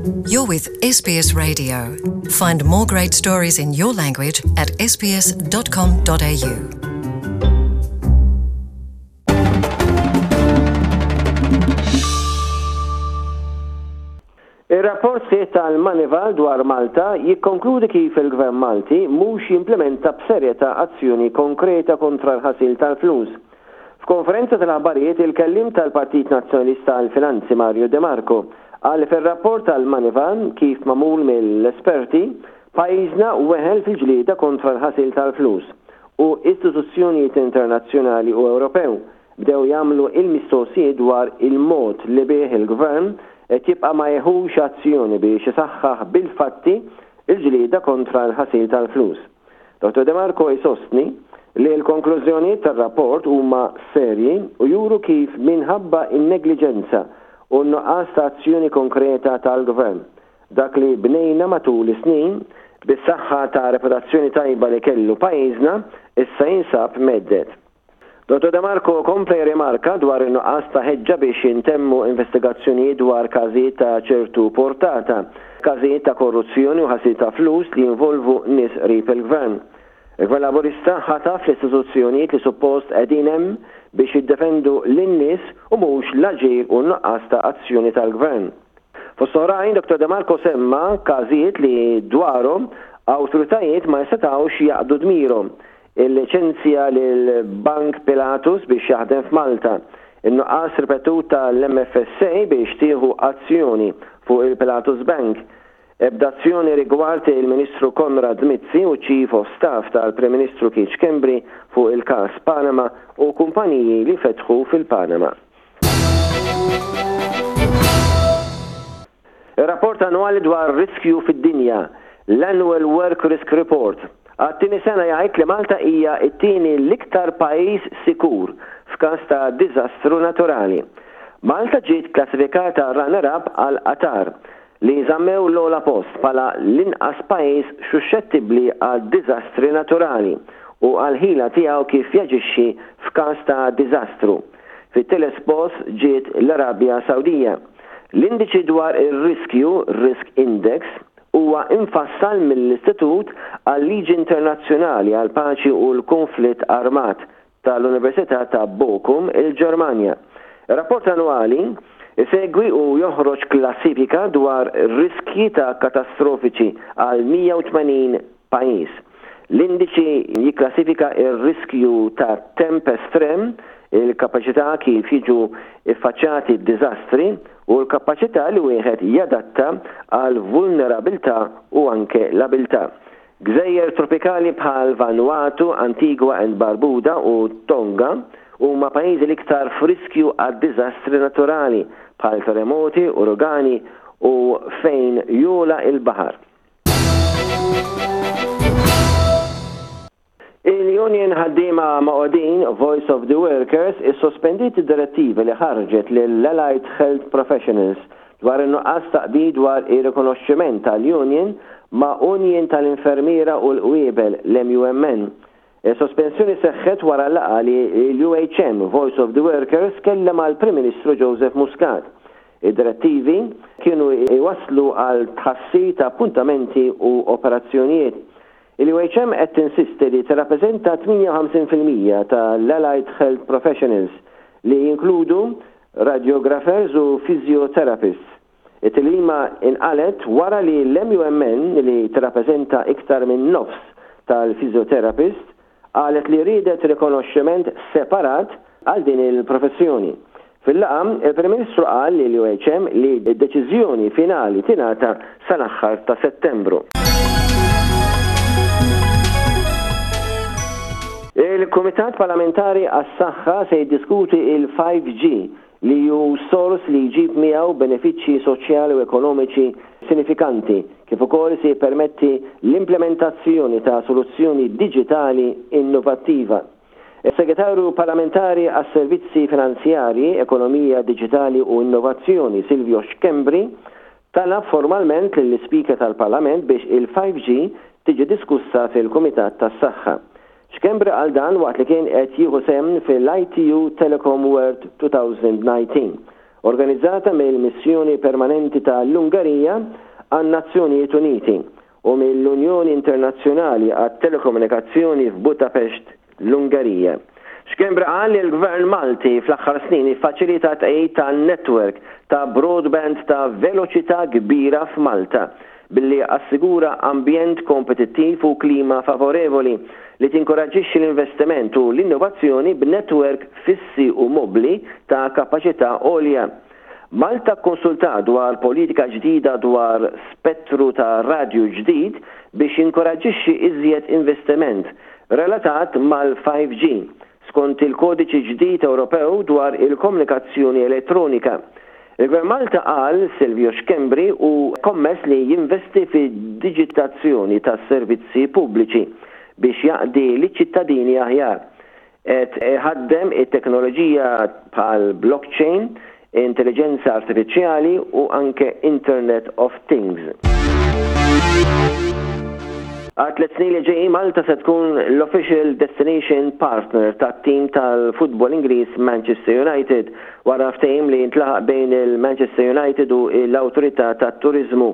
You're with SBS Radio. Find more great stories in your language at sbs.com.au. Ir-rapport sħiħ tal-Moneyval dwar Malta jikkonkludi kif il-Gvern Malti mhux jimplimenta b'serjetà azzjoni konkreta kontra l-ħasil tal-flus. F'konferenza tal-aħbarijiet il-kelliem tal-Partit Nazzjonalista għall-Finanzi Mario De Marco qal li fir-rapport tal-Moneyval kif magħmul mill-esperti, pajjiżna weħel fil-ġlieda kontra l-ħasil tal-flus u istituzzjonijiet internazzjonali u Ewropew bdew jagħmlu il-mistoqsijiet dwar il-mod li bih il-Gvern qed jibqa' ma jieħux azzjoni biex isaħħaħ bil-fatti l-ġlieda kontra l-ħasil tal-flus. Dottor De Marco jsostni li l-konklużjonijiet tar-rapport huma serji u juru kif minħabba n-negliġenza u n-nuqqas ta' azzjoni konkreta tal-Gvern, dak li bnejna matul is-snin, bis-saħħa ta' reputazzjoni tajba li kellu pajjiżna, issa jinsab mhedded. Dottor De Marco kompla jirrimarka dwar in-nuqqas ta' ħeġġa biex jintemmu investigazzjonijiet dwar każijiet ta' ċertu portata, każijiet ta' korruzzjoni u ħasil ta' flus li jinvolvu nies qrib il-Gvern. Il-Gvern Laburista ħataf l-istituzzjonijiet li suppost qegħdin hemm biex jiddefendu lin-nies u mhux l-aġir u n-nuqqas ta' azzjoni tal-Gvern. Fost oħrajn, Dottor De Marco semma każijiet li dwarhom awtoritajiet ma setgħux jaqdu dmirhom, Il-liċenzja lil Bank Pilatus biex jaħdem f'Malta, in-nuqqas ripetut tal-MFSA biex tieħu azzjoni fuq il-Pilatus Bank, ebda azzjoni rigward il-Ministru Konrad Mizzi u Chief of Staff tal-Prim Ministru Keith Schembri fuq il-każ Panama u kumpaniji li fetħu fil-Panama. Ir-rapport annwali dwar riskju fid-dinja, l-Annual Work Risk Report, għat-tieni sena jgħid li Malta hija t-tieni l-iktar pajjiż sikur f'każ ta' diżastru naturali. Malta ġiet klassifikata runner-up għal Qatar, li żammew l-ogħla post bħala l-inqas pajjiż xuxxettibbli għal diżastri naturali u għall-ħila tiegħu kif jaġixxi f'każ ta' diżastru. Fit-tielet post ġiet l-Arabja Sawdija. L-Indiċi dwar ir-Riskju, Risk Index, huwa imfassal mill-Istitut għal-Liġi Internazzjonali għall-Paċi u l-Kunflitt Armat tal-Università ta' Bochum, il-Ġermanja. Ir-rapport annwali jsegwi u joħroġ klassifika dwar riskji ta' katastrofiċi għal 180 pajjiż. L-indiċi jikklassifika r-riskju ta' temp estrem, il-kapaċità kif jiġu ffaċċjati d-diżastri u l-kapaċità li wieħed jadatta għall-vulnerabilità u anke l-abilità. Gżejjer tropikali bħal Vanuatu, Antigua and Barbuda u Tonga huma pajjiżi l-iktar f'riskju għad-diżastri naturali bħal terremoti, uragani u fejn jogħla l-baħar. Il-Union Ħaddiema Magħqudin, Voice of the Workers, issospendiet id-direttiva li ħarġet lill-Allied Health Professionals dwar in-nuqqas ta' qbil dwar ir-rikonoxximent tal-union ma' Union tal-Infermiera u l-Qwiebel, l-MUMN. Is-sospensjoni seħħet wara laqgħa li l-UHM, Voice of the Workers, kellha mal-Prim Ministru Joseph Muscat. Id-direttivi kienu jwasslu għal tħassir ta' appuntamenti u operazzjonijiet. Il-UHM qed tinsisti li tirrappreżenta 58% tal-Allied Health Professionals li jinkludu radiographers u physiotherapists. It-tilwima inqalgħet wara li l-MUMN, li tirrappreżenta iktar minn nofs tal-physiotherapists, qalet li riedet rikonoxximent separat għal din il-professjoni. Fil-laqgħa, il-Prim Ministru qal lill-UHM li d-deċiżjoni finali tingħata sal-aħħar ta' Settembru. Il-Kumitat Parlamentari għas-Saħħa se jiddiskuti il-5G li hu sors li jġib miegħu benefiċċji soċjali u ekonomiċi sinifikanti, kif ukoll se jippermetti l-implementazzjoni ta' soluzzjoni diġitali innovattiva. Is-Segretarju Parlamentari għas-Servizzi Finanzjarji, Ekonomija Diġitali u Innovazzjoni, Silvio Schembri, talab formalment lill-Ispeaker tal-Parlament biex il-5G tiġi diskussa fil-Kumitat tas-Saħħa. Schembri qal dan waqt li kien qed jieħu sehem fil-ITU Telecom World 2019. organizzata mill-Missjoni Permanenti ta' l-Ungarija għan-Nazzjonijiet Uniti u mill-Unjoni Internazzjonali għat-Telekomunikazzjoni f'Budapest, l-Ungerija. Schembri qal li l-Gvern Malti fl-aħħar snin iffaċilita t-tqegħid ta' network ta' broadband ta' veloċità kbira f'Malta billi assigura ambjent kompetittiv u klima favorevoli li tinkoraġġixxi l-investiment u l-innovazzjoni b'network fissi u mobbli ta' kapaċità għolja. Malta kkonsultat dwar politika ġdida dwar spettru ta' radju ġdid biex jinkoraġġixxi iżjed investiment relatat mal-5G, skont il-Kodiċi ġdid Ewropew dwar il-Komunikazzjoni Elettronika. Il-Gvern Malta qal Silvio Schembri hu kommess li jinvesti fid-diġitazzjoni tas-servizzi pubbliċi biex jaqdi liċ-ċittadini aħjar. Qed iħaddem it-teknoloġija bħal blockchain, intelliġenza artifiċjali u anke Internet of Things. Għat-tliet snin li ġejjin Malta se tkun l-official destination partner tat-tim tal-futbol Ingliż Manchester United wara ftehim li ntlaħaq bejn il-Manchester United u l-Awtorità tat-Turiżmu.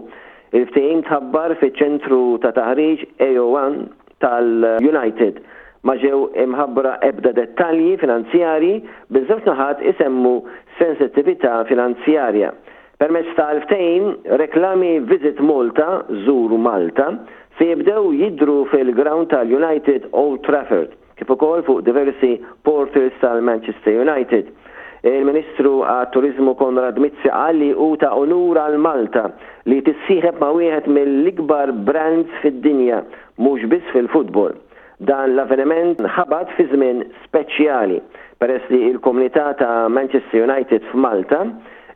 Il-ftehim tħabbar fiċ-ċentru ta' taħriġ AO1 tal-United. Ma ġew imħabbra ebda dettalji finanzjarji, biż-żewġ naħat isemmu sensittività finanzjarja. Permezz tal-ftehim, reklami Visit Malta, Żur Malta, se jibdew jidhru fil-grawnd tal-United Old Trafford, kif ukoll fuq diversi portals tal-Manchester United. Il-Ministru għat-Turiżmu Konrad Mizzi qal li hu ta' unur għal Malta li tissieħeb ma' wieħed mill-ikbar brands fid-dinja, mhux biss fil-futbol. Dan l-avveniment ħabat fi żmien speċjali, peress li l-komunità ta' Manchester United f'Malta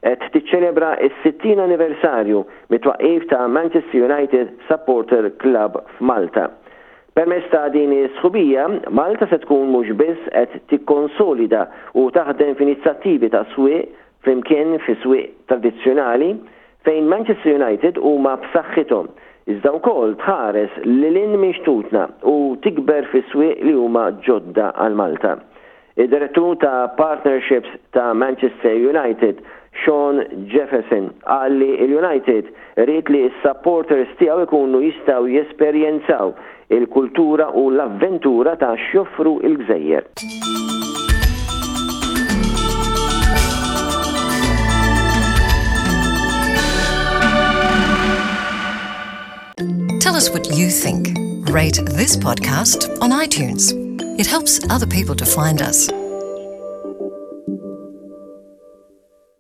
qed tiċċelebra s-60 anniversarju mit-twaqqif ta' Manchester United Supporter Club f'Malta. Permezz ta' din is-sħubija, Malta se tkun mhux biss qed tikkonsolida u taħdem f'inizjattivi ta' swieq flimkien fi swieq tradizzjonali fejn Manchester United huma b'saħħithom, iżda wkoll tħares lil hinn minn xtutna u tikber fi swieq li huma ġodda għal Malta. Id-Direttur ta' Partnerships ta' Manchester United, Sean Jefferson, qal li l-United ried li s-supporters tiegħu jkunu jistgħu jesperjenzaw il-kultura u l-avventura ta' x'joffru l-gżejjer. Tell us what you think. Rate this podcast on iTunes. It helps other people to find us.